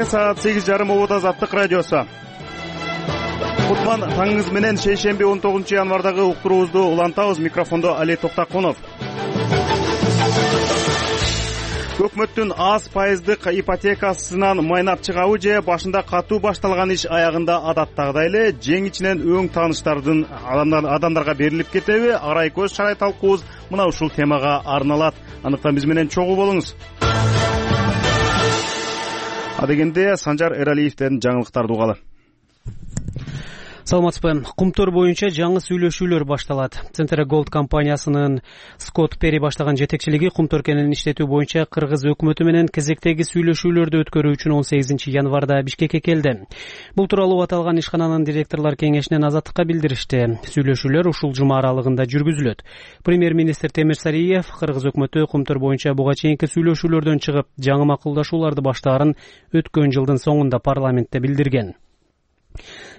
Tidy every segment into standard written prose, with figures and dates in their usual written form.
Эртең саат 8:30 Обод Азаттык радиосу. Кутман таңыңыз менен шейшемби 19 январдагы уктуруубузду улантабыз. Микрофондо Али Токтакунов. Өкмөттүн аз пайыздык ипотекасынан майнап чыгабы же башында катуу башталган иш аягында адаттагыдай эле жең ичинен өң тааныштардын адамдарга берилип кетеби? Арай көз чарай талкуубуз мына ушул темага арналат. Андыктан биз менен чогуу болуңуз. Адегенде Санжар Эралиевден жаңылыктарды угалы. Саламатсызбы. Кумтөр боюнча жаңы сүйлөшүүлөр башталат. Центр Голд компаниясынын Скотт Перри баштаган жетекчилиги кумтөр кенин иштетүү боюнча кыргыз өкмөтү менен кезектеги сүйлөшүүлөрдү өткөрүү үчүн 18 январда Бишкекке келди. Бул тууралуу аталган ишкананын директорлор кеңешинен Азаттыкка билдиришти. Сүйлөшүүлөр ушул жума аралыгында жүргүзүлөт. Премьер-министр Темир Сариев кыргыз өкмөтү кумтөр боюнча буга чейинки сүйлөшүүлөрдөн чыгып, жаңы макулдашууларды баштаарын өткөн жылдын соңунда парламентте билдирген.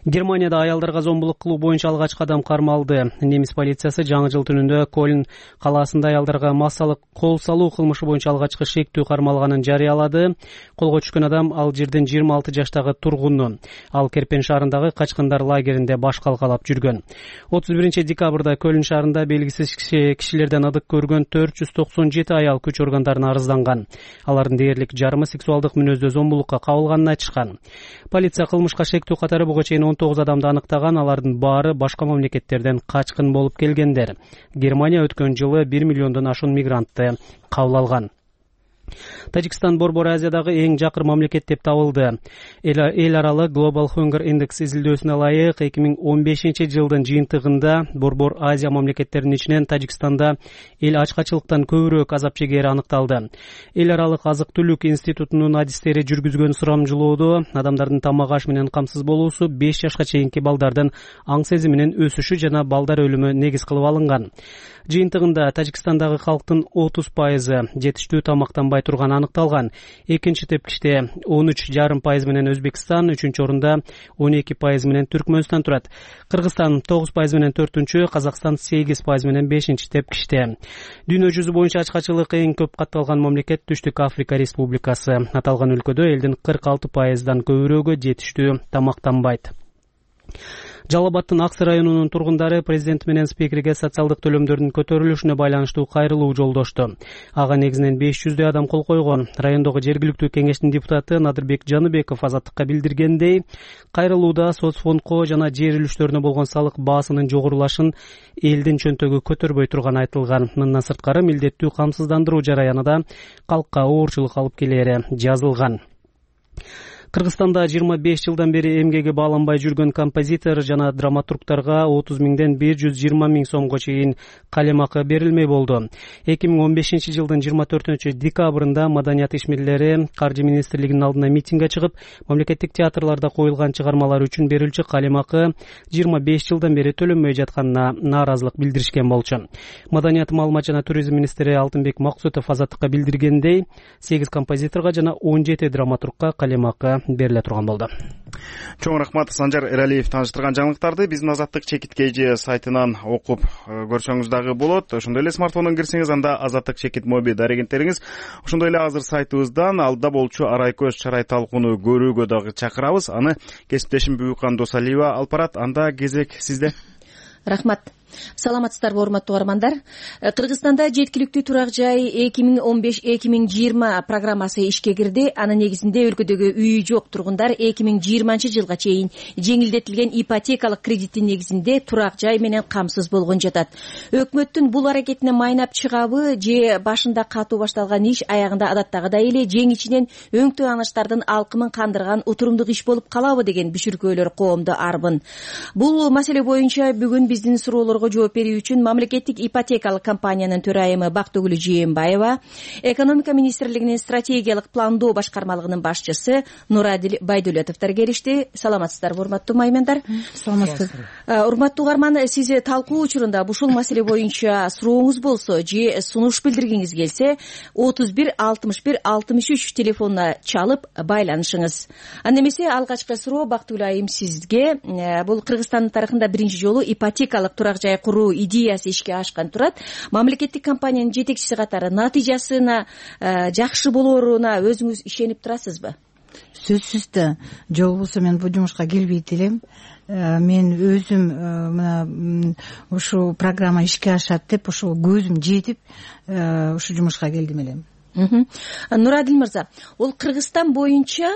Германияда аялдарга зомбулук кылуу боюнча алгач кадам кармалды. Немис полициясы жаңы жыл түнүндө Кольн калаасында аялдарга массалык кол салуу кылмышы боюнча алгачкы шектүү кармалганын жарыялады. Колго түшкөн адам ал жердин 26 жаштагы тургуну. Ал Керпен шаарындагы качкындар лагеринде баш калкалап жүргөн. 31 декабрда Кольн шаарында белгисиз кишилерден ыдык көргөн 497 аял күч органдарына арызданган. Алардын дээрлик жарымы сексуалдык мүнөздө зомбулукка кабылганын айтышкан. Полиция кылмышка шектүү катары буга чейин 19 адамды аныктаган, алардын баары башка мамлекеттерден качкын болуп келгендер. Германия өткөн жылы 1 миллиондон ашуун мигрантты кабыл алган. Тажикстан Борбор Азиядагы эң жакыр мамлекет деп табылды. Эл аралык Global Hunger Index изилдөөсүнө ылайык 2015 жылдын жыйынтыгында Борбор Азия мамлекеттеринин ичинен Тажикстанда эл ачкачылыктан көбүрөөк азап чегери аныкталды. Эл аралык азык-түлүк институтунун адистери жүргүзгөн сурамжылоодо адамдардын тамак аш менен камсыз болуусу 5 жашка чейинки балдардын аң сезиминин өсүшү жана балдар өлүмү негиз кылып алынган. Жыйынтыгында Тажикстандагы халктын 30% жетиштүү тамактанбай турганы аныкталган. Экинчи тепкичте 13,5% менен Өзбекстан, үчүнчү орунда 12% менен Түркмөнстан турат. Кыргызстан 9% менен 4-чү, Казакстан 8% менен 5-чи тепкичте. Дүйнө жүзү боюнча ачкачылык эң көп катталган мамлекет Түштүк Африка Республикасы. Аталган өлкөдө элдин 46%дан көбүрөөгө жетиштүү тамактанбайт. Жалал Абадтын Аксы районунун тургундары президент менен спикерге социалдык төлөмдөрдүн көтөрүлүшүнө байланыштуу кайрылуу жолдошту. Ага негизинен 500 адам кол койгон. Райондогу жергиликтүү кеңештин депутаты Надырбек Жаныбеков Азаттыкка билдиргендей, кайрылууда соцфондко жана жер үлүштөрүнө болгон салык баасынын жогорулашын элдин чөнтөгү көтөрбөй турганы айтылган. Мындан сырткары милдеттүү камсыздандыруу жараянында калкка оорчулук алып келери жазылган. Кыргызстанда 25 жылдан бери эмгеги бааланбай жүргөн композитор жана драматургтарга 30 миңден 120 миң сомго чейин калемакы берилмей болду. 2015 жылдын 24 декабрында маданият ишмерлери Каржы министрлигинин алдына митингге чыгып, мамлекеттик театрларда коюлган чыгармалар үчүн берилчү калемакы 25 жылдан бери төлөнбөй жатканына нааразылык билдиришкен болчу. Маданият, маалымат жана туризм министри Алтынбек Максутов Азаттыкка билдиргендей, 8 композиторго жана 17 драматургка калемакы бериле турган болду. Чоң рахмат Санжар Эралиев тааныштырган жаңылыктарды биздин Азаттык чекит.kg сайтынан окуп көрсөңүз дагы болот. Ошондой эле смартфондон кирсеңиз, анда Азаттык чекит моби дарегенттериңиз. Ошондой эле азыр сайтыбыздан алда болчу Арай көз чарай талкууну көрүүгө дагы чакырабыз. Аны кесиптешим Бүкан Досалиева алып барат. Анда кезек сизде. Рахмат. Саламатсыздарбы, урматтуу угармандар. Кыргызстанда жеткиликтүү турак жай 2015-2020 программасы ишке кирди. Анын негизинде өлкөдөгү үйү жок тургундар 2020 жылга чейин жеңилдетилген ипотекалык кредиттин негизинде турак жай менен камсыз болгон жатат. Өкмөттүн бул аракетине майнап чыгабы же башында катуу башталган иш аягында адаттагыдай эле жең ичинен өң тааныштардын алкымын кандырган утурумдук иш болуп калабы деген бишүркөөлөр коомдо арбын. Бул маселе боюнча бүгүн биздин суроолорго жооп берүү үчүн мамлекеттик ипотекалык компаниянын төрайымы Бактыгүл Жээнбаева, экономика министрлигинин стратегиялык пландоо башкармалыгынын башчысы Нурадил Байдулетовдор келишти. Саламатсыздарбы, урматтуу маймендар? Саламатсыз. Урматтуу угарман, сиз талкуу учурунда ушул маселе боюнча сурооңуз болсо же сунуш билдиргиңиз келсе 31 61 63 телефонуна чалып байланышыңыз. Анда эмесе алгачкы суроо Бактыгүл айым сизге. Бул Кыргызстандын тарыхында биринчи жолу ипотекалык турак жай куруу идеясы ишке ашкан турат. Мамлекеттик компаниянын жетекчиси катары натыйжасына жакшы болооруна өзүңүз ишенип турасызбы? Сөзсүз да жол болсо мен бул жумушка келбейт элем. Мен өзүм мына ушу программа ишке ашат деп ошо көзүм жетип ушу жумушка келдим элем. Нурадил мырза, ол Кыргызстан боюнча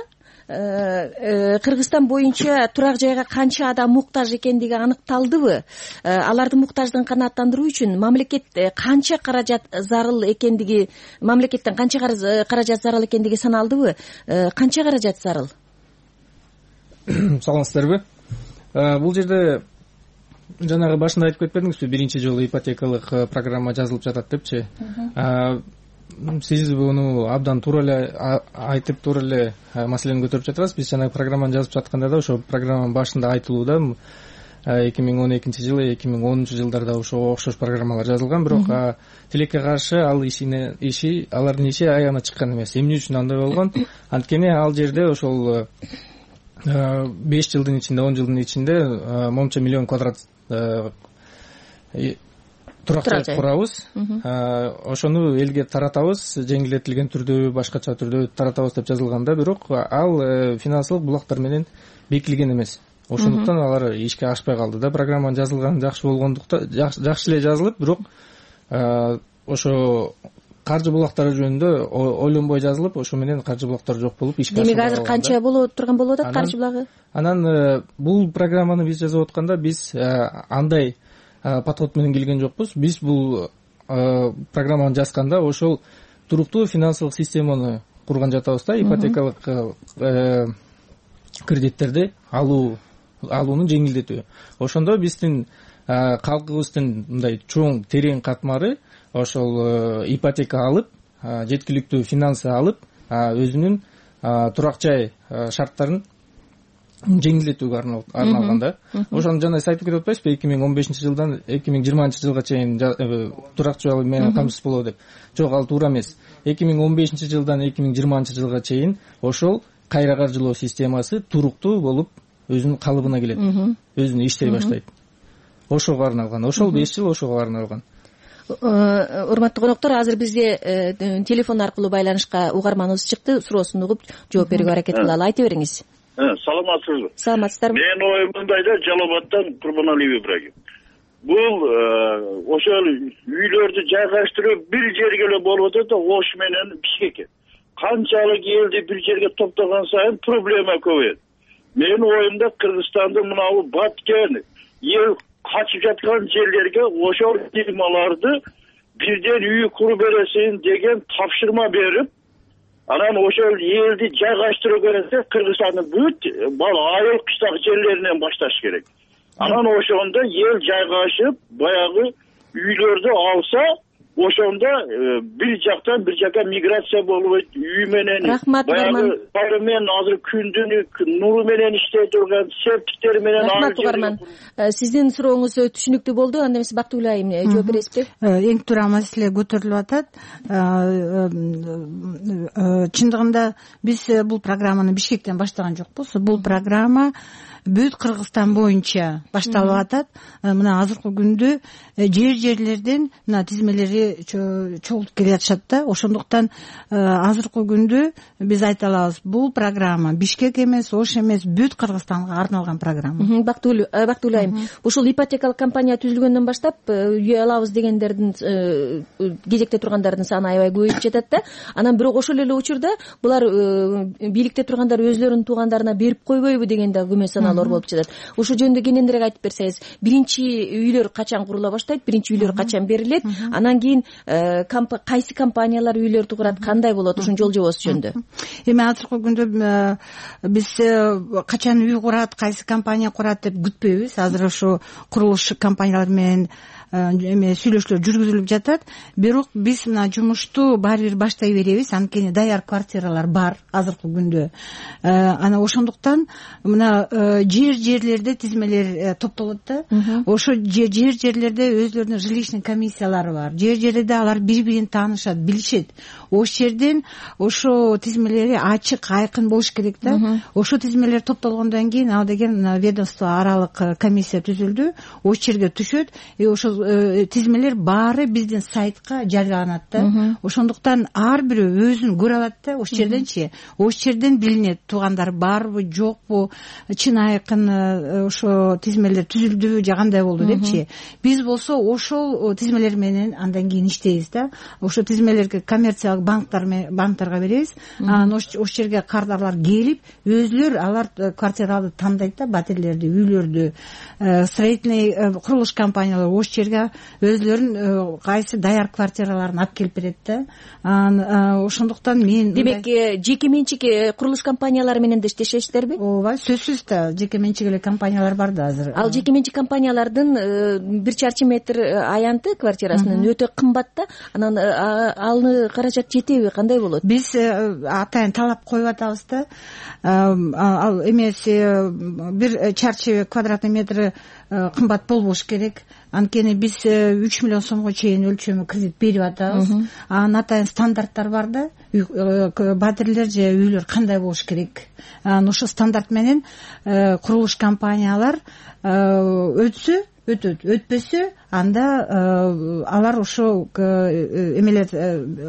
турак жайга канча адам муктаж экендиги аныкталдыбы? Алардын муктаждыгын канааттандыруу үчүн мамлекет канча каражат зарыл экендиги, мамлекеттен канча каражат зарыл экендиги саналдыбы? Канча каражат зарыл? Саламатсыздарбы? Бул жерде жанагы башында айтып кетпедиңизби, биринчи жолу ипотекалык программа жазылып жатат депчи. Сиз буну абдан туура эле айтып, туура эле маселени көтөрүп жатасыз. Биз жанагы программаны жазып жатканда да ошо программанын башында айтылууда 2012 жылы, 2010 жылдарда ошого окшош программалар жазылган, бирок тилекке каршы алардын иши аягына чыккан эмес. Эмне үчүн андай болгон? Анткени ал жерде ошол 5 жылдын ичинде, 10 жылдын ичинде момча миллион квадрат турак жай курабыз. Ошону элге таратабыз, жеңилдетилген түрдө, башкача түрдө таратабыз деп жазылганда, бирок ал финансылык булактар менен бекилген эмес. Ошондуктан алар ишке ашпай калды да. Программанын жазылганы жакшы болгондуктан, жакшы эле жазылып, бирок ошо каржы булактары жөнүндө ойлонбой жазылып, ошо менен каржы булактары жок болуп ишке ашпай калды. Демек азыр канча боло турган болуп атат каржы булагы? Анан бул программаны биз жазып атканда биз андай подход менен келген жокпуз. Биз бул программаны жазганда ошол туруктуу финансылык системаны курган жатабыз да, ипотекалык кредиттерди алууну жеңилдетүү. Ошондо биздин калкыбыздын мындай чоң терең катмары ошол ипотека алып, жеткиликтүү финансы алып, өзүнүн турак жай шарттарын жеңилдетүүгө арналган да. Ошону жана айтып кетип атпайсызбы, 2015 жылдан 2020 жылга чейин турак жай менен камсыз болобу деп. Жок, ал туура эмес. 2015 жылдан 2020 жылга чейин ошол кайра каржылоо системасы туруктуу болуп өзүнүн калыбына келет, өзүнө иштей баштайт. Ошого арналган, ошол 5 жыл ошого арналган. Урматтуу коноктор, азыр бизге телефон аркылуу байланышка угарманыбыз чыкты. Суроосун угуп жооп берүүгө аракет кылалы. Айта бериңиз. Саламатсызбы? Саламатсыздарбы? Менин оюм мындайда, Жалалабадтан Курбаналиев Ибрагим. Бул ошол үйлөрдү жайгаштыруу бир жерге эле болуп атат да, Ош менен Бишкекке. Канчалык элди бир жерге топтогон сайын проблема көбөйөт. Менин оюмда Кыргызстандын мынабу баткен эл качып жаткан жерлерге ошол фирмаларды бирден үй куруп бересин деген тапшырма берип, анан ошол элди жайгаштыруу керек да, Кыргызстандын бүт айыл кыштак жерлеринен башташ керек. Анан ошондо эл жайгашып, баягы үйлөрдү алса, ошондо бир жактан бир жакка миграция болбойт, үй менен баягы бары менен азыр күндүнүк нуру менен иштей турган септиктер менен. Рахмат угарман. Сиздин сурооңуз түшүнүктүү болду. Анда эмесе Бактыгүл айым жооп бересизби? Эң туура маселе көтөрүлүп атат. Чындыгында биз бул программаны Бишкектен баштаган жокпуз. Бул программа бүт Кыргызстан боюнча башталып атат. Мына азыркы күндө жерлерден мына тизмелери чогултуп келе жатышат да. Ошондуктан азыркы күндө биз айта алабыз, бул программа Бишкек эмес, Ош эмес, бүт Кыргызстанга арналган программа. Бактыгүл айым, ушул ипотекалык компания түзүлгөндөн баштап үй алабыз дегендердин кезекте тургандардын саны аябай көбөйүп жатат да. Анан бирок ошол эле учурда булар бийликте тургандар өзлөрүнүн туугандарына берип койбойбу деген да күмөн саналар болуп жатат. Ошол жөнүндө кененирээк айтып берсеңиз, биринчи үйлөр качан курула баштайт, биринчи үйлөр качан берилет, анан кийин кайсы компаниялар үйлөрдү курат, кандай болот, ушунун жол жобосу жөнүндө? Эми азыркы күндө биз качан үй курат, кайсы компания курат деп күтпөйбүз. Азыр ошо курулуш компаниялар менен сүйлөшүүлөр жүргүзүлүп жатат. Бирок биз мына жумушту баары бир баштай беребиз, анткени даяр квартиралар бар азыркы күндө. Анан ошондуктан мына жерлерде тизмелер топтолот да. Ошо жерлерде өзлөрүнүн жилищный комиссиялары бар. Жерлерде алар бири-бирин таанышат, билишет. Ош жерден ошо тизмелери ачык, айкын болуш керек да. Ошо тизмелер топтолгондон кийин ал деген ведомство аралык комиссия түзүлдү. Ош жерге түшөт, ошол ошол тизмелер баары биздин сайтка жарыяланат да. Ошондуктан ар бирөө өзүн көрө алат да. Ошол жерденчи, ошол жерден билинет туугандар барбы, жокпу, чын айкын ошо тизмелер түзүлдүбү же кандай болду депчи. Биз болсо ошол тизмелер менен андан кийин иштейбиз да. Ошо тизмелерди коммерциялык банктарга беребиз. Анан ошол жерге кардарлар келип, өзүлөр алар квартираларды тандайт да, батирлерди, үйлөрдү, строительный курулуш компаниялар ошол жерге өзүлөрүнүн кайсы даяр квартираларын алып келип берет да. Ошондуктан мен демек жеке менчик курулуш компаниялары менен да иштешесиздерби? Ооба, сөзсүз да, жеке менчик эле компаниялар бар да азыр. Ал жеке менчик компаниялардын 1 чарчы метр аянты квартирасынын өтө кымбат да. Анан аны каражат жетеби, кандай болот? Биз атайын талап коюп атабыз да. Ал эмес 1 чарчы квадратный метр кымбат болбош керек. Анткени биз 3 миллион сомго чейин өлчөмү кредит берип атабыз. Анан атайын стандарттар бар да. Батирлер же үйлөр кандай болуш керек. Анан ошол стандарт менен курулуш компаниялар өтсө өтөт, өтпөсө анда алар ошо эмелер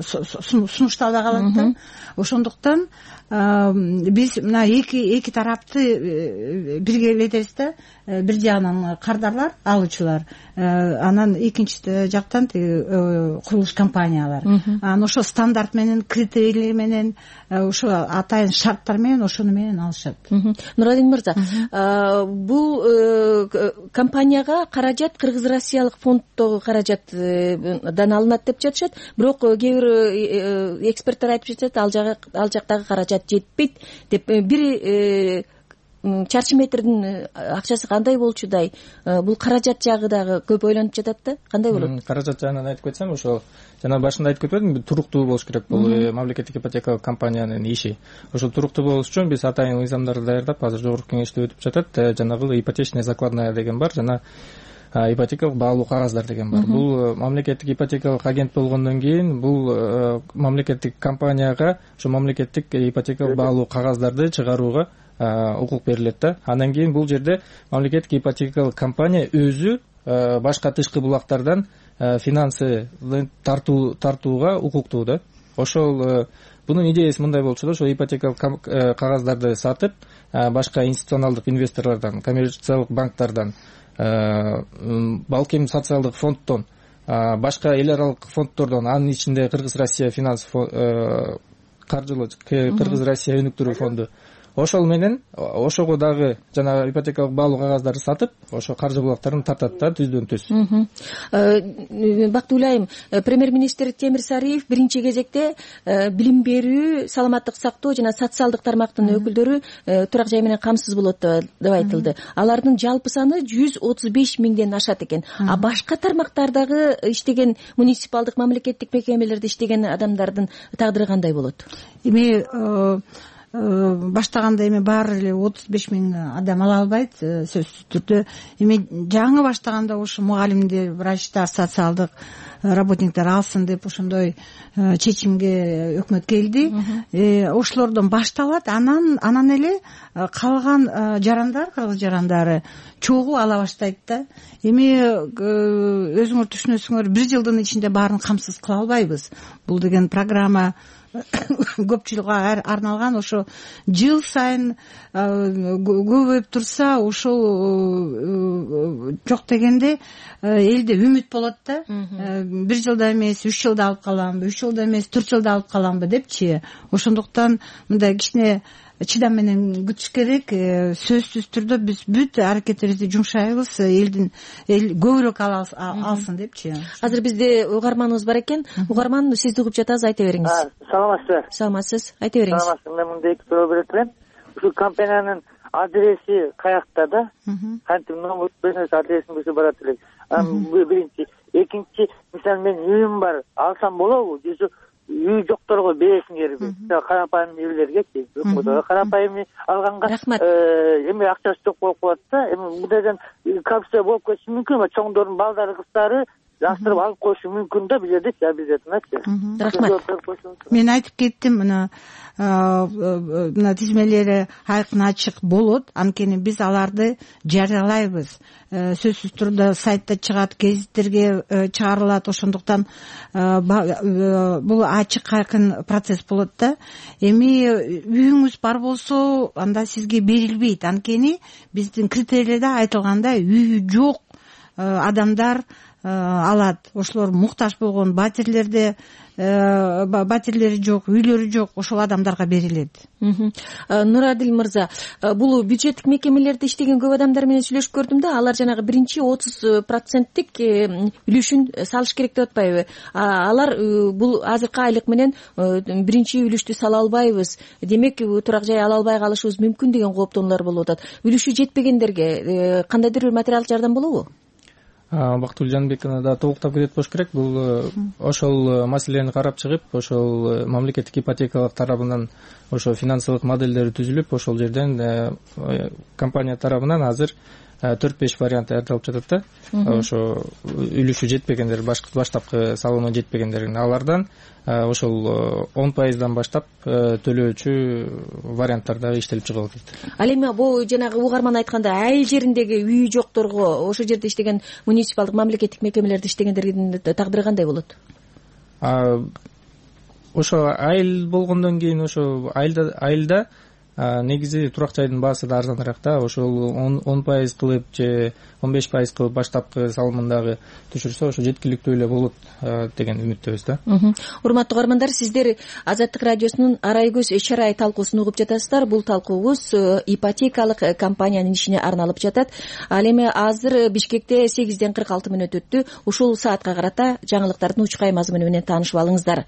сунушталбай калат да. Ошондуктан биз мына эки тарапты биргелетебиз да. Бир жагынан кардарлар, алуучулар, анан экинчи жактан курулуш компаниялар. Анан ошо стандарт менен, критерийлер менен, ошо атайын шарттар менен ошону менен алышат. Нуралин мырза, бул компанияга каражат кыргыз-россиялык фонддогу каражаттан алынат деп жатышат. Бирок кээ бир эксперттер айтып жатат, ал жактагы каражат жетпейт деп. Бир чарчы метрдин акчасы кандай болчудай? Бул каражат жагы дагы көп ойлонуп жатат да. Кандай болот? Каражат жагынан айтып кетсем, ошо жана башында айтып кетпедимби, туруктуу болуш керек бул мамлекеттик ипотекалык компаниянын иши. Ошол туруктуу болуш үчүн биз атайын мыйзамдарды даярдап, азыр жогорку кеңеште өтүп жатат. Жанагы ипотечная закладная деген бар, жана ипотекалык баалуу кагаздар деген бар. Бул мамлекеттик ипотекалык агент болгондон кийин бул мамлекеттик компанияга ошо мамлекеттик ипотекалык баалуу кагаздарды чыгарууга укук берилет да. Андан кийин бул жерде мамлекеттик ипотекалык компания өзү башка тышкы булактардан финансы тартууга укуктуу да. Ошол бунун идеясы мындай болчу да, ошо ипотекалык кагаздарды сатып, башка институционалдык инвесторлордон, коммерциялык банктардан, балким социалдык фонддон, башка эл аралык фонддордон, анын ичинде Кыргыз-Россия финанс каржылоо, Кыргыз-Россия өнүктүрүү фонду, ошол менен ошого дагы жана ипотекалык баалуу кагаздарды сатып, ошо каржы булактарын тартат да, түздөн түз. Бактылуу айым, премьер-министр Темир Сариев биринчи кезекте билим берүү, саламаттык сактоо жана социалдык тармактын өкүлдөрү турак жай менен камсыз болот деп айтылды. Алардын жалпы саны 135 миңден ашат экен. Башка тармактардагы иштеген муниципалдык мамлекеттик мекемелерде иштеген адамдардын тагдыры кандай болот? Баштаганда эми баары эле 35 миң адам ала албайт, сөзсүз түрдө. Эми жаңы баштаганда ошо мугалимдер, врачтар, социалдык работниктер алсын деп ошондой чечимге өкмөт келди. Ошолордон башталат, анан эле калган жарандар, кыргыз жарандары чогуу ала баштайт да. Эми өзүңөр түшүнөсүңөр, 1 жылдын ичинде баарын камсыз кыла албайбыз. Бул деген программа көпчүлүккө арналган, ошо жыл сайын көбөйүп турса, ошол жок дегенде элде үмүт болот да. 1 жылда эмес 3 жылда алып каламбы, 3 жылда эмес 4 жылда алып каламбы депчи. Ошондуктан мындай кичине чыдам менен күтүш керек. Сөзсүз түрдө биз бүт аракетибизди жумшайбыз, эл көбүрөөк алсын депчи. Азыр бизде угарманыбыз бар экен. Угарман, сизди угуп жатабыз, айта бериңиз. Саламатсызбы? Саламатсыз, айта бериңиз. Саламатсыз. Мен мындай 2 суроо берет элем. Ушул компаниянын адреси каякта да? Кантип номер берсеңиз, адресин берсе барат элек. Биринчи. Экинчи, мисалы мен үйүм бар, алсам болобу? Же үй жокторго бересиңерби? Карапайым үйлөргечи. Өкмөттө карапайым алганга эми акчасы жок болуп калат да. Эми мындайдан коррупция болуп кетиши мүмкүн. Чоңдордун балдары, кыздары жакшыртып алып коюшу мүмкүн да бул жерде обязательно. Рахмат. Мен айтып кеттим, мына тизмелери айкын ачык болот, анткени биз аларды жарыялайбыз. Сөзсүз түрдө сайтта чыгат, гезиттерге чыгарылат, ошондуктан бул ачык айкын процесс болот да. Эми үйүңүз бар болсо, анда сизге берилбейт, анткени биздин критерийлерде айтылгандай үйү жок адамдар алат. Ошолор муктаж болгон батирлери жок, үйлөрү жок, ошол адамдарга берилет. Нурадил мырза, бул бюджеттик мекемелерде иштеген көп адамдар менен сүйлөшүп көрдүм да, алар жанагы биринчи 30% үлүшүн салыш керек деп атпайбы? Алар бул азыркы айлык менен биринчи үлүштү сала албайбыз, демек турак жай ала албай калышыбыз мүмкүн деген кооптонуулар болуп атат. Үлүшү жетпегендерге кандайдыр бир материалдык жардам болобу? Бактыгүл Жанбековна да толуктап кетет болуш керек. Бул ошол маселени карап чыгып, ошол мамлекеттик ипотекалык тарабынан ошо финансылык модельдери түзүлүп, ошол жерден компания тарабынан азыр 4-5 вариант даярдалып жатат да. Ошо үлүшү жетпегендер, баштапкы салымы жетпегендерин алардан ошол 10%дан баштап төлөөчү варианттар дагы иштелип чыгып атат. Ал эми бул жанагы угарман айткандай айыл жериндеги үйү жокторго, ошол жерде иштеген муниципалдык мамлекеттик мекемелерде иштегендердин тагдыры кандай болот? Ошо айыл болгондон кийин ошо айылда негизи турак жайдын баасы да арзаныраак да. Ошол 10% кылып же 15% кылып баштапкы салымын дагы түшүрсө ошо жеткиликтүү эле болот деген үмүттөбүз да. Урматтуу угармандар, сиздер Азаттык радиосунун Арай көз чара ай талкуусун угуп жатасыздар. Бул талкуубуз ипотекалык компаниянын ишине арналып жатат. Ал эми азыр Бишкекте 8:46 өттү. Ушул саатка карата жаңылыктардын учкай мазмуну менен таанышып алыңыздар.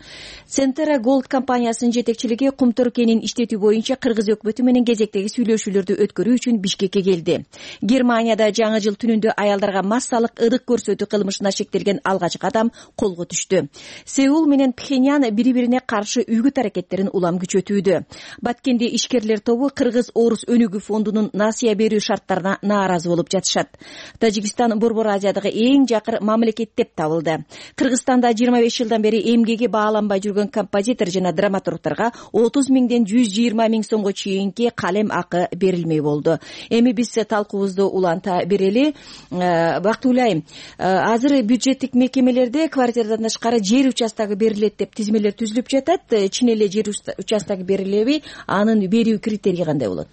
Центера Голд компаниясынын жетекчилиги Кумтөр кенин иштетүү боюнча Кыргыз өкмөтү менен кезектеги сүйлөшүүлөрдү өткөрүү үчүн Бишкекке келди. Германияда жаңы жыл түнүндө аялдарга массалык ырык көрсөтүү кылмышына шектелген алгачкы адам колго түштү. Сеул менен Пхеньян бири-бирине каршы үгүт аракеттерин улам күчөтүүдө. Баткенде ишкерлер тобу Кыргыз-Орус өнүгүү фондунун насыя берүү шарттарына нааразы болуп жатышат. Тажикстан Борбор Азиядагы эң жакыр мамлекет деп табылды. Кыргызстанда 25 жылдан бери эмгеги бааланбай жүргөн композитор жана драматургдарга 30 миңден 120 миң сомго чейинки калем акы берилмей болду. Эми биз талкуубузду уланта берели. Бактыгүл айым, азыр бюджеттик мекемелерде квартирадан тышкары жер участогу берилет деп тизмелер түзүлүп жатат. Чын эле жер участогу берилеби? Анын берүү критерийи кандай болот?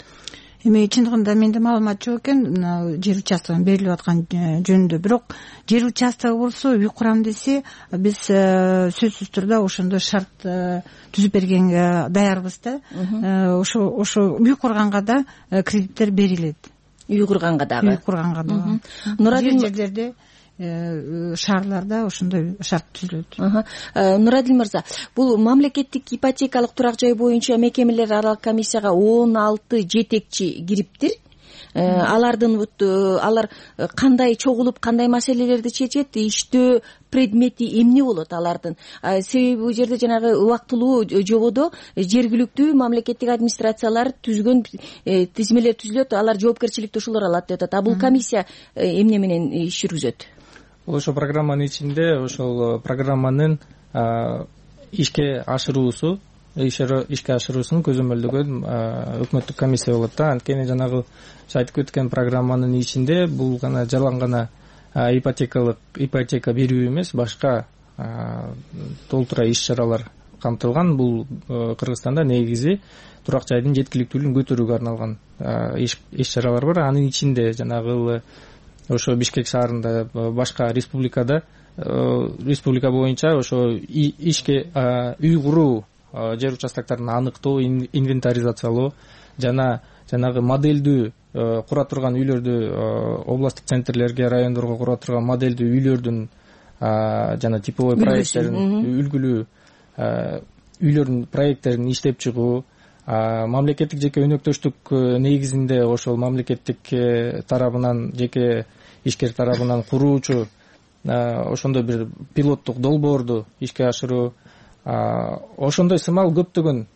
Эми чындыгында менде маалымат жок экен жер участогунун берилип аткан жөнүндө. Бирок жер участогу болсо үй курам десе, биз сөзсүз түрдө ошондой шарт түзүп бергенге даярбыз да. Ошо үй курганга да кредиттер берилет. Үй курганга дагы. Үй курганга дагы. Жерлерде шаарларда ошондой шарт түзүлөт. Нурадил мырза, бул мамлекеттик ипотекалык турак жай боюнча мекемелер аралык комиссияга 16 жетекчи кириптир. Алар кандай чогулуп, кандай маселелерди чечет, иштөө предмети эмне болот алардын? Себеби бул жерде жанагы убактылуу жободо жергиликтүү мамлекеттик администрациялар түзгөн тизмелер түзүлөт, алар жоопкерчиликти ушулар алат деп атат. Бул комиссия эмне менен иш жүргүзөт? Ошол программанын ичинде ошол программанын ишке ашыруусун көзөмөлдөгөн өкмөттүк комиссия болот да. Анткени жанагы айтып өткөн программанын ичинде бул жалаң гана ипотека берүү эмес, башка толтура иш-чаралар камтылган. Бул Кыргызстанда негизи турак жайдын жеткиликтүүлүгүн көтөрүүгө арналган иш-чаралар бар. Анын ичинде жанагы ошо Бишкек шаарында, башка республика боюнча ошо ишке үй куруу, жер участокторун аныктоо, инвентаризациялоо жана жанагы модельдүү кура турган үйлөрдү областтык центрлерге, райондорго кура турган модельдүү үйлөрдүн жана типовой проекттерин, үлгүлүү үйлөрдүн проекттерин иштеп чыгуу, мамлекеттик жеке өнөктөштүк негизинде ошол мамлекеттик тарабынан, жеке ишкер тарабынан куруучу ошондой бир пилоттук долбоорду ишке ашыруу, ошондой сымал көптөгөн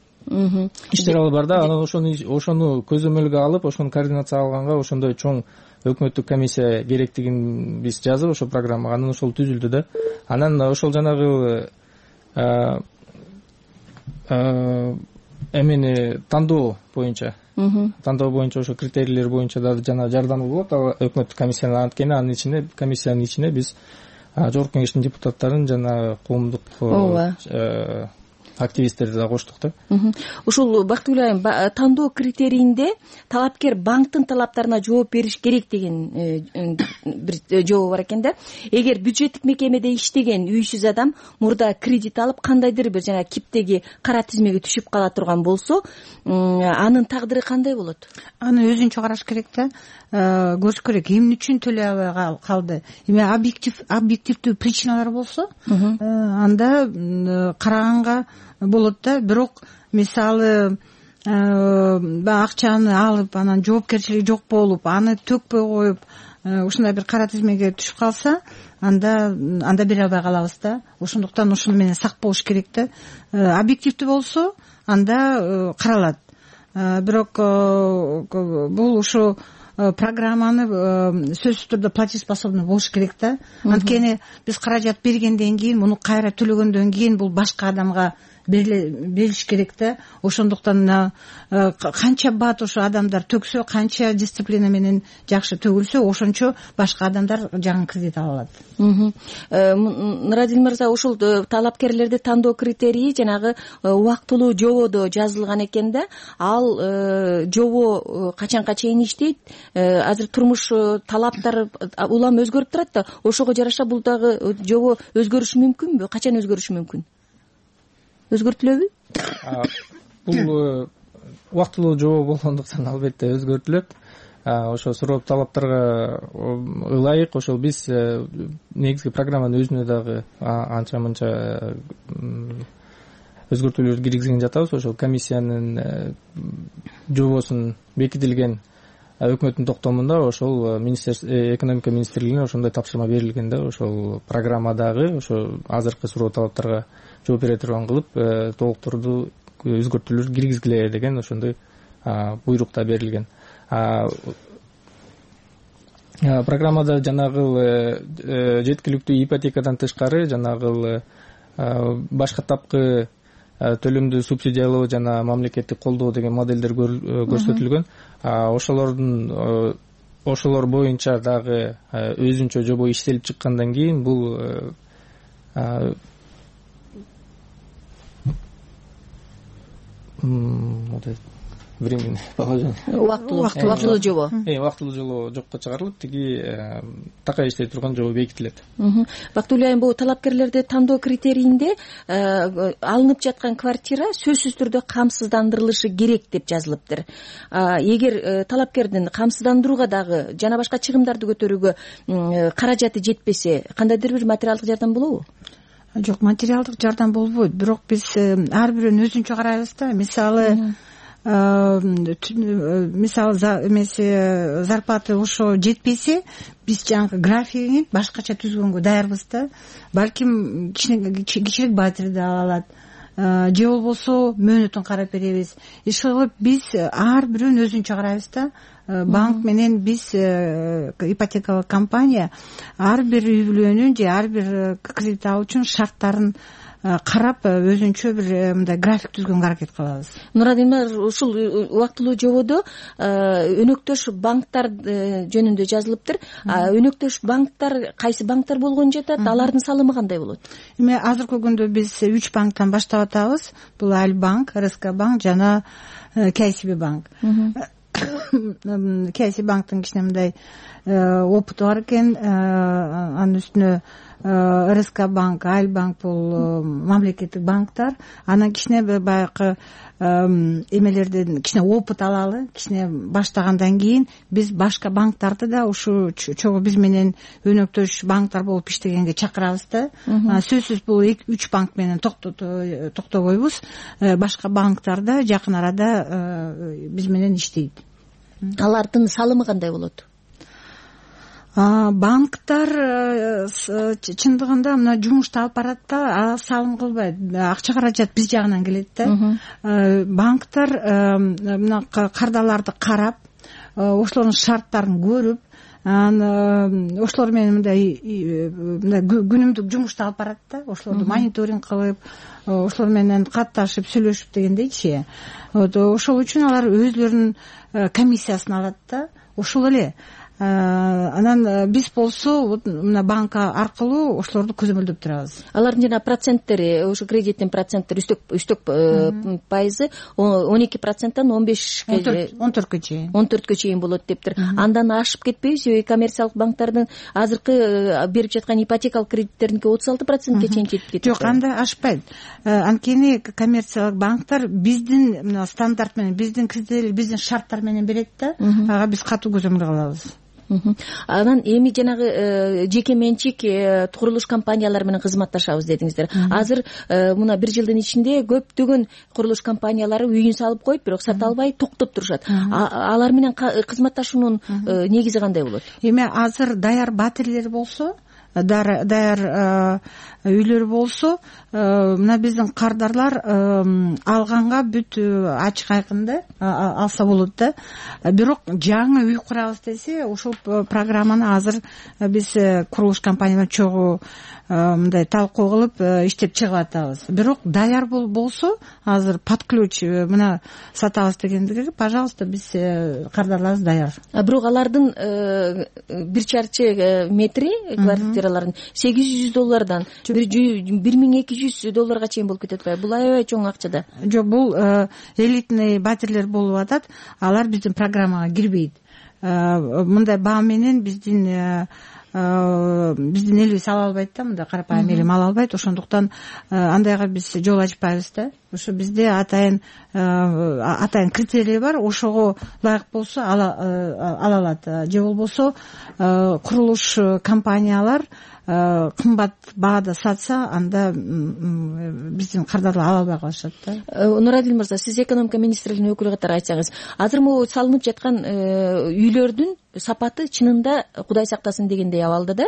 иштер алып бар да. Анан ошону көзөмөлгө алып, ошону координация алганга ошондой чоң өкмөттүк комиссия керектигин биз жазып, ошо программага анан ошол түзүлдү да. Анан ошол жанагы эмени тандоо боюнча ошо критерийлер боюнча да жана жардамы болот өкмөттүк комиссиянын. Анткени анын ичинде комиссиянын ичине биз жогорку кеңештин депутаттарын жана коомдук активисттерди да коштук да. Ушул Бактыгүл айым, тандоо критерийинде талапкер банктын талаптарына жооп бериш керек деген бир жообу бар экен да. Эгер бюджеттик мекемеде иштеген үйсүз адам мурда кредит алып кандайдыр бир жана киптеги кара тизмеге түшүп кала турган болсо, анын тагдыры кандай болот? Аны өзүнчө караш керек да. Көрүш керек эмне үчүн төлөй албай калды. Эми объективдүү причиналар болсо, анда караганга болот да. Бирок мисалы акчаны алып, анан жоопкерчилиги жок болуп, аны төкпөй коюп, ушундай бир кара тизмеге түшүп калса, анда бере албай калабыз да. Ошондуктан ушуну менен сак болуш керек да. Объективдүү болсо, анда каралат. Бирок бул ушу программаны сөзсүз түрдө платежеспособный болуш керек да. Анткени биз каражат бергенден кийин, муну кайра төлөгөндөн кийин бул башка адамга берилиш керек да. Ошондуктан канча бат ошо адамдар төксө, канча дисциплина менен жакшы төгүлсө, ошончо башка адамдар жаңы кредит ала алат. Нурадил мырза, ушул талапкерлерди тандоо критерийи жанагы убактылуу жободо жазылган экен да. Ал жобо качанга чейин иштейт? Азыр турмуш талаптары улам өзгөрүп турат да. Ошого жараша бул дагы жобо өзгөрүшү мүмкүнбү? Качан өзгөрүшү мүмкүн? Өзгөртүлөбү? Бул убактылуу жобо болгондуктан албетте өзгөртүлөт. Ошо суроо талаптарга ылайык ошол биз негизги программанын өзүнө дагы анча мынча өзгөртүүлөр киргизген жатабыз. Ошол комиссиянын жобосун бекитилген өкмөттүн токтомунда ошол экономика министрлигине ошондой тапшырма берилген да. Ошол программадагы ошо азыркы суроо талаптарга жооп бере турган кылып толуктурду өзгөртүүлөр киргизгиле деген ошондой буйрук да берилген. Программада жанагы жеткиликтүү ипотекадан тышкары жанагы башка тапкы төлөмдү субсидиялоо жана мамлекеттик колдоо деген моделдер көрсөтүлгөн. Ошолор боюнча дагы өзүнчө жобо иштелип чыккандан кийин бул убактылуу жобо. Убактылуу жобо жокко чыгарылып, тиги такай иштей турган жобо бекитилет. Бактыгүл айым, бул талапкерлерди тандоо критерийинде алынып жаткан квартира сөзсүз түрдө камсыздандырылышы керек деп жазылыптыр. Эгер талапкердин камсыздандырууга дагы жана башка чыгымдарды көтөрүүгө каражаты жетпесе, кандайдыр бир материалдык жардам болобу? Жок, материалдык жардам болбойт. Бирок биз ар бирөөнү өзүнчө карайбыз да. Мисалы зарплаты ошо жетпесе, биз жаңы графигин башкача түзгөнгө даярбыз да. Балким кичирээк батирди ала алат, же болбосо мөөнөтүн карап беребиз. Иш кылып биз ар бирөөнү өзүнчө карайбыз да. Банк менен биз ипотекалык компания ар бир үй бүлөнүн же ар бир кредит алуучунун шарттарын карап өзүнчө бир мындай график түзгөнгө аракет кылабыз. Нурадилмар, ушул убактылуу жободо өнөктөш банктар жөнүндө жазылыптыр. Өнөктөш банктар кайсы банктар болгон жатат? Алардын салымы кандай болот? Эми азыркы күндө биз 3 банктан баштап атабыз. Бул Альбанк, РСК банк жана KCB банк. KCB банктын кичине мындай опыту бар экен. Анын үстүнө РСК банк, Альбанк бул мамлекеттик банктар. Анан кичине баягы эмелерден кичине опыт алалы, кичине баштагандан кийин биз башка банктарды да ушу чогуу биз менен өнөктөш банктар болуп иштегенге чакырабыз да. Сөзсүз бул 3 банк менен токтобойбуз. Башка банктар да жакын арада биз менен иштейт. Алардын салымы кандай болот? Банктар чындыгында мына жумушту алып барат да, салым кылбайт, акча каражат биз жагынан келет да. Банктар мына кардарларды карап, ошолордун шарттарын көрүп, ошолор менен мындай күнүмдүк жумушту алып барат да, ошолорду мониторинг кылып, ошолор менен катташып сүйлөшүп дегендейчи. Ошол үчүн алар өзлөрүнүн комиссиясын алат да. Ошол эле анан биз болсо вот мына банк аркылуу ошолорду көзөмөлдөп турабыз. Алардын жана проценттери, ошо кредиттин проценттери үстөк пайызы 12%тан 14 чейин болот дептир. Андан ашып кетпейби? Себеби коммерциялык банктардын азыркы берип жаткан ипотекалык кредиттердинки 36%ке чейин жетип кетет. Жок, андай ашпайт. Анткени коммерциялык банктар биздин мына стандарт менен, биздин критерий, биздин шарттар менен берет да. Ага биз катуу көзөмөл кылабыз. Анан эми жанагы жеке менчик курулуш компаниялары менен кызматташабыз дедиңиздер. Азыр мына бир жылдын ичинде көптөгөн курулуш компаниялары үйүн салып коюп, бирок сата албай токтоп турушат. Алар менен кызматташуунун негизи кандай болот? Эми азыр даяр батирлер болсо, даяр үйлөр болсо, мына биздин кардарлар алганга бүт ачык айкын да алса болот да. Бирок жаңы үй курабыз десе, ошол программаны азыр биз курулуш компания менен чогуу мындай талкуу кылып иштеп чыгып атабыз. Бирок даяр болсо, азыр под ключ мына сатабыз дегендиги, пожалуйста, биз кардарларыбыз даяр. Бирок алардын бир чарчы метри квартиралардын $800 $1200 чейин болуп кетет атпайбы? Бул аябай чоң акча да. Жок, бул элитный батирлер болуп атат. Алар биздин программага кирбейт. Мындай баа менен биздин элибиз ала албайт да, мындай карапайым элем ала албайт. Ошондуктан андайга биз жол ачпайбыз да. Ошо бизде атайын критерий бар. Ошого ылайык болсо ала алат. Же болбосо курулуш компаниялар кымбат баада сатса, анда биздин кардарлар ала албай калышат да. Нурадил мырза, сиз экономика министрлигинин өкүлү катары айтсаңыз, азыр могу салынып жаткан үйлөрдүн сапаты чынында Кудай сактасын дегендей абалда да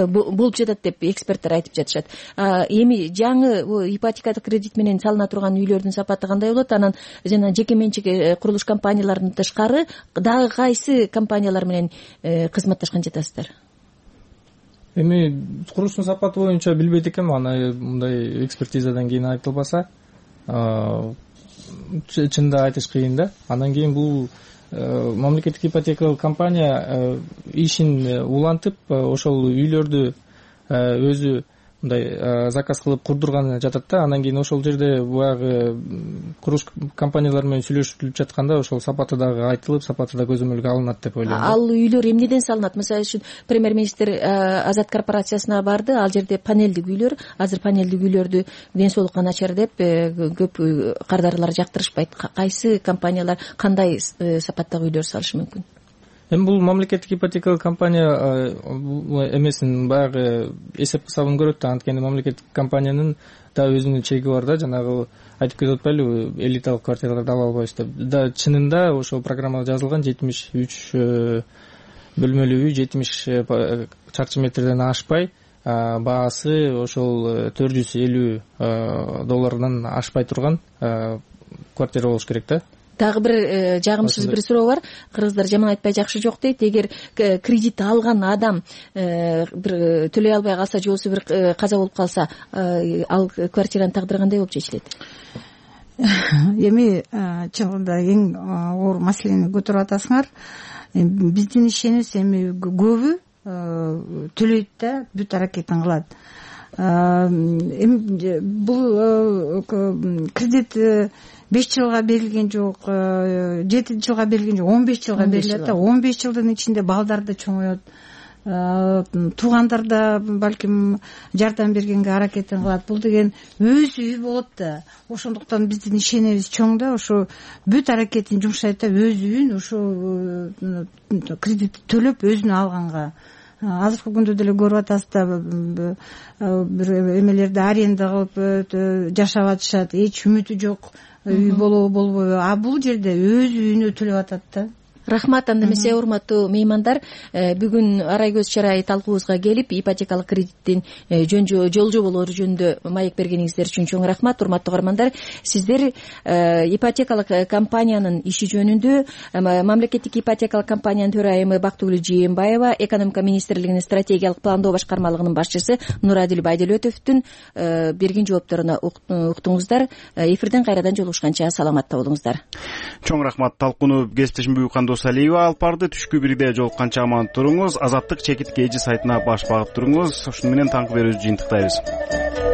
болуп жатат деп эксперттер айтып жатышат. Эми жаңы ипотекалык кредит менен салына турган үйлөрдүн сапаты кандай болот? Анан жана жеке менчик курулуш компанияларынан тышкары дагы кайсы компаниялар менен кызматташкан жатасыздар? Эми курулуштун сапаты боюнча билбейт экенмин, аны мындай экспертизадан кийин айтылбаса, чынында айтыш кыйын да. Андан кийин бул мамлекеттик ипотекалык компания ишин улантып, ошол үйлөрдү өзү мындай заказ кылып курдурган жатат да. Андан кийин ошол жерде баягы курулуш компаниялар менен сүйлөшүлүп жатканда ошол сапаты дагы айтылып, сапаты да көзөмөлгө алынат деп ойлойм. Ал үйлөр эмнеден салынат? Мисалы үчүн премьер-министр Азат корпорациясына барды, ал жерде панелдик үйлөр, азыр панелдик үйлөрдү ден соолукка начар деп көп кардарлар жактырышпайт. Кайсы компаниялар кандай сапаттагы үйлөр салышы мүмкүн? Эми бул мамлекеттик ипотекалык компания эмесин баягы эсеп кысабын көрөт да. Анткени мамлекеттик компаниянын да өзүнүн чеги бар да. Жанагы айтып кетип атпайлыбы, элиталык квартираларды ала албайбыз деп. Да чынында ошол программада жазылган 73 бөлмөлүү үй, 70 чарчы метрден ашпай, баасы ошол $450 ашпай турган квартира болуш керек да. Дагы бир жагымсыз бир суроо бар. Кыргыздар жаман айтпай жакшы жок дейт. Эгер кредит алган адам бир төлөй албай калса, же болбосо бир каза болуп калса, ал квартиранын тагдыры кандай болуп чечилет? Эми чынында эң оор маселени көтөрүп атасыңар. Биздин ишенибиз эми көбү төлөйт да, бүт аракетин кылат. Эми бул кредит 5 жылга берилген жок, 7 жылга берилген жок, 15 жылга берилет да. 15 жылдын ичинде балдар да чоңоет, туугандар да балким жардам бергенге аракетин кылат. Бул деген өз үй болот да. Ошондуктан биздин ишенебиз чоң да, ошо бүт аракетин жумшайт да, өз үйүн ошо кредит төлөп өзүнө алганга. Азыркы күндө деле көрүп атасыздар, бир эмелерди аренда кылып жашап атышат, эч үмүтү жок үй болобу болбойбу. Бул жерде өз үйүнө төлөп атат да. Рахмат. Анда эмесе урматтуу меймандар, бүгүн арай көз чарай талкуубузга келип ипотекалык кредиттин жол жоболору жөнүндө маек бергениңиздер үчүн чоң рахмат. Урматтуу угармандар, сиздер ипотекалык компаниянын иши жөнүндө мамлекеттик ипотекалык компаниянын төрайымы Бактыгүл Жээнбаева, экономика министрлигинин стратегиялык пландоо башкармалыгынын башчысы Нурадил Байдөлөтовдун берген жоопторуна уктуңуздар. Эфирден кайрадан жолугушканча саламатта болуңуздар. Чоң рахмат. Талкууну кесиптешим Кандос Алиева алып барды. Түшкү бирде жолукканча аман туруңуз. Азаттык чекит KG сайтына баш багып туруңуз. Ушуну менен таңкы берүүбүздү жыйынтыктайбыз.